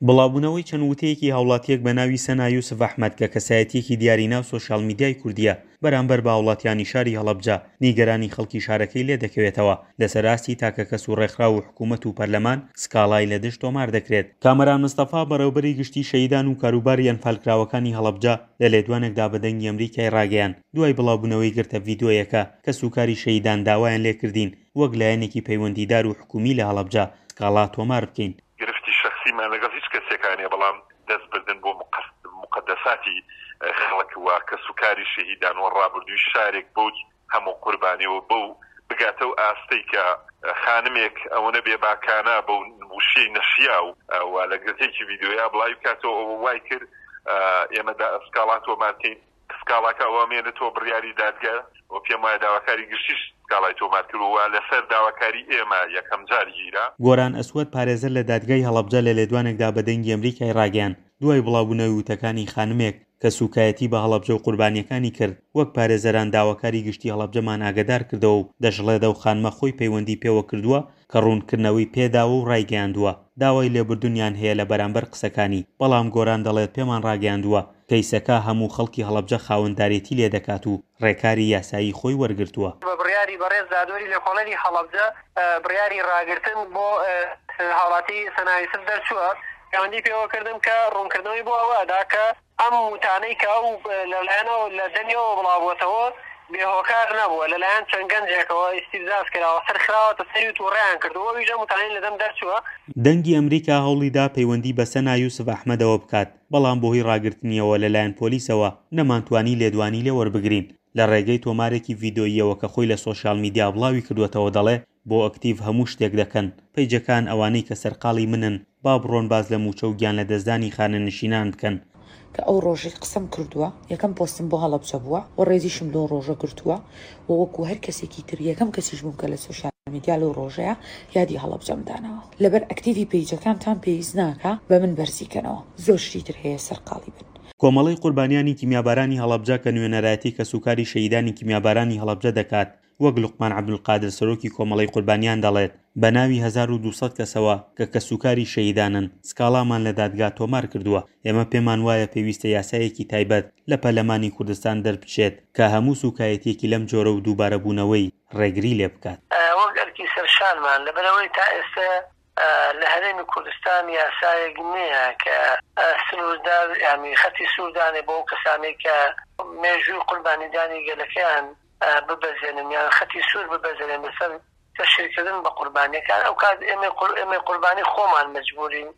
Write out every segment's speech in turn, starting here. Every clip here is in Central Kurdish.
بڵاوبوونەوەی چەند وتەیەکی هاوڵاتییەک بە ناوی سەنا یوسف ئەحمەد کە کەسایەتییەکی دیاری ناو سۆشیال میدیای کوردییە بەرامبەر بە هاوڵاتیانی شاری هەڵەبجە نیگەرانی خەڵکی شارەکەی لێدەکەوێتەوە لەسەر ئاستی تاکەکەس و ڕێکخراو و حکوومەت و پەرلەمان سکاڵای لە دژ تۆمار دەکرێت. کامەران مستەفا بەڕێوبەری گشتی شەهیدان و کاروباری ئەنفالکراوەکانی هەڵەبجە لە لێدوانێکدا بە دەنگی ئەمریکای ڕاگەیاند دوای بڵاوبوونەوەی گرتە ڤیدۆیەکە کەسوکاری شەهیدان داوایان لێکردین وەک لایەنێکی پەیوەندیدار و حکوومی لە هەڵەبجە سکاڵا تۆمار بکەین. گرفتی شەخسیمان لەگەڵ هیچ کەسێکا نیە بەڵام دەست بردن بۆ موقەدەساتی خەڵک و کەسوکاری شەهیدان و ڕابردووی شارێک بەو هەموو قوربانی و بەو بگاتە ئەو ئاستەی کە خانمێک ئەوەنە بێباکانە بەو وشەی نەشیاو و لە گرتەیەکی ڤیدیۆیا بڵاوی بکاتەوە ئەوە وای کرد ئێمە سکاڵا تۆمار کەین. سکاڵاکە ئەوە ئەمێنێتەوە بڕیاری دادگا و پێم وایە داواکاری گشتیش سکاڵای تۆمار کردووە و لەسەر داواکاری ئێمە یەکەم جار گیرا. گۆران ئەسوەد پارێزەر لە دادگای هەڵەبجە لە لێدوانێکدا بە دەنگی ئەمریکای ڕاگەیاند، دوای بڵاوبوونەوەی وتەکانی خانمێک کە سوکایەتی بە هەڵەبجە و قوربانییەکانی کرد، وەک پارێزەران داواکاری گشتی هەڵەبجەمان ئاگەدار کردەوە و دەشڵێت ئەو خانمە خۆی پەیوەندی پێوە کردووە کە ڕوونکردنەوەی پێداوە و ڕایگەیاندووە داوای لێبوردنیان هەیە لە بەرامبەر قسەکانی، بەڵام گۆران دەڵێت پێمان ڕاگەیاندووە کەیسەکە هەموو خەڵکی هەڵەبجە خاوەندارێتی لێدەکات و ڕێکاری یاسایی خۆی وەرگرتووە. بە بڕیاری بەڕێز دادوەری لێکۆڵەری هەڵەبجە بڕیاری ڕاگرتن بۆ هاوڵاتی سەنا یوسف دەرچووە، پەیوەندی پێوەکردم کە ڕوونکردنەوەی بۆ ئەوە ئەدا کە ئەم وتانەی کە ئەو لەلایەن ئەو لە دەمی ئەوە بڵاوبووەتەوە بێ هۆکار نەبووە، لەلایەن چەند گەنجێکەوە ئیستیفزاز کراوە، سەر خراوەتە سەری و تووڕەیان کردووە، ئەویش ئەم وتانەی لە دەم دەرچووە. دەنگی ئەمریکا هەوڵیدا پەیوەندی بە سەنا یوسف ئەحمەدەوە بکات، بەڵام بەهۆی ڕاگرتنیەوە لەلایەن پۆلیسەوە نەمانتوانی لێدوانی لێ وەربگرین. لە ڕێگەی تۆمارێکی ڤیدۆییەوە کە خۆی لە سۆشیال میدیا بڵاوی کردووەتەوە دەڵێ، بۆ ئەکتیڤ هەموو شتێک دەکەن، پەیجەکان ئەوانەی کە سەرقاڵی منن با بڕۆن باس لە مووچە و گیانلەدەستدانی خانەنشینان بکەن. کە ئەو ڕۆژەی قسەم کردووە یەکەم پۆستم بۆ هەڵەبجە بووە و ڕێزیشم لەو ڕۆژە گرتووە و وەکو هەر کەسێکی تر یەکەم کەسیش بووم کە لە سۆشیال میدیا لەو ڕۆژەیا یادی هەڵەبجەم داناوە. لەبەر ئەکتیڤی پەیجەکانتان پێویست ناکا بە من بەرزی کەنەوە زۆر شتی تر هەیە سەرقاڵی بن. کۆمەڵەی قوربانیانی کیمیابارانی هەڵەبجە کە نوێنەرایەتی کەسوکاری شەهیدانی کیمیابارانی هەڵەبجە دەکات، وەک لوقمان عەبدولقادر سەرۆکی کۆمەڵەی قوربانیان دەڵێت، بە ناوی 1200 کەسەوە کە کەسوکاری شەهیدانن، سکاڵامان لە دادگا تۆمار کردووە. ئێمە پێمان وایە پێویستە یاسایەکی تایبەت لە پەرلەمانی کوردستان دەربچێت کە هەموو سوکایەتییەکی لەم جۆرە و دووبارەبوونەوەی ڕێگری لێ بکات. وەک ئەرکی سەرشانمان، لەبەرئەوەی تا ئێستە لە هەرێمی کوردستان یاسایەک نییە کە سنووردار یانی خەتی سوور دانێ بۆ ئەو کەسانەی کە مێژووی قوربانیدانی گەلەکەیان ببەزێنن یان خەتی سوور ببەزێنن لەسەر تەشهیرکردن بە قوربانیەکان ئەو کات ئێمەی ئێمەی قوربانی خۆمان مەجبوورین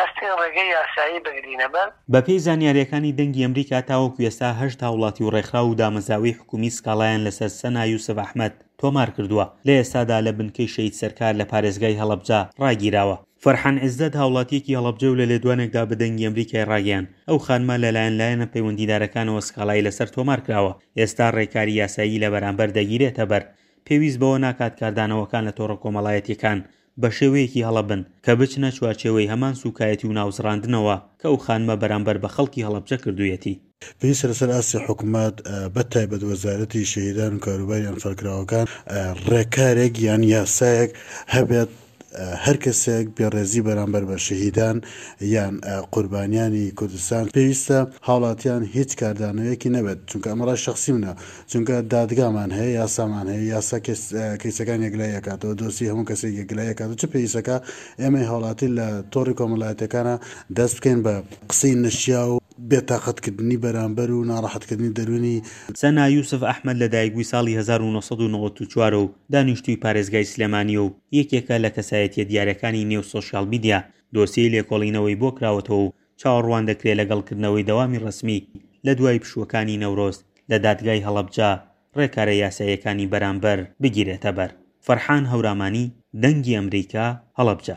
هەستین ڕێگەی یاسایی بگرینە بەر. بەپێی زانیارییەکانی دەنگی ئەمریکا تاوەکو ئێستا هەشت هاوڵاتی و ڕێکخراو و دامەزراوەی حکومی سکاڵایان لەسەر سەنا یوسف ئەحمەد تۆمار کردووە، لە ئێستادا لە بنکەی شەهید سەرکار لە پارێزگای هەڵەبجە ڕاگیراوە. فەرحان عیزەت هاوڵاتییەکی هەڵەبجە و لە لێدوانێکدا بە دەنگی ئەمریکای ڕاگەیاند، ئەو خانمە لەلایەن لایەنە پەیوەندیدارەکانەوە سکاڵای لەسەر تۆمار کراوە، ئێستا ڕێکاری یاسایی لە بەرامبەر دەگیرێتە بەر. پێویست بەوە ناکات کاردانەوەکان لە تۆڕە کۆمەڵایەتییەکان بە شێوەیەکی هەڵە بن کە بچنە چوارچێوەی هەمان سووکایەتی و ناوزڕاندنەوە کە ئەو خانمە بەرامبەر بە خەڵکی هەڵەبجە کردوویەتی. پێویستە لەسەر ئاستی حکومەت بە تایبەت وەزارەتی شەهیدان و کاروباری ئەنفالکراوەکان ڕێکارێک یان یاسایەک هەبێت هەر کەسێک بێڕێزی بەرامبەر بە شەهیدان یان قوربانیانی کوردستان پێویستە هاوڵاتیان هیچ کاردانەوەیەکی نەبێت چونکە ئەمە ڕای شەخسی منە چونکە دادگامان هەیە یاسامان هەیە یاسا کەیسەکان یەکلایی ئەکاتەوە دۆسی هەموو کەسێک یەکلایی ئەکاتەوە چ پێویستەکا ئێمەی هاوڵاتی لە تۆڕی کۆمەڵایەتیەکانا دەست بکەین بە قسەی نەشیاو بێتاقەتکردنی بەرامبەر و ناڕەحەتکردنی دەروونی. سەنا یوسف ئەحمەد لەدایکبووی ساڵی 1994 و دانیشتووی پارێزگای سلێمانییە و یەکێکە لە کەسایەتییە دیارەکانی نێو سۆشیاڵ میدیا، دۆسیەی لێکۆڵینەوەی بۆ کراوەتەوە و چاوەڕوان دەکرێت لەگەڵ کردنەوەی دەوامی ڕەسمی لە دوای پشووەکانی نەورۆز لە دادگای هەڵەبجە ڕێکارە یاساییەکانی بەرامبەر بگیرێتەبەر. فەرحان هەورامانی، دەنگی ئەمریکا، هەڵەبجە.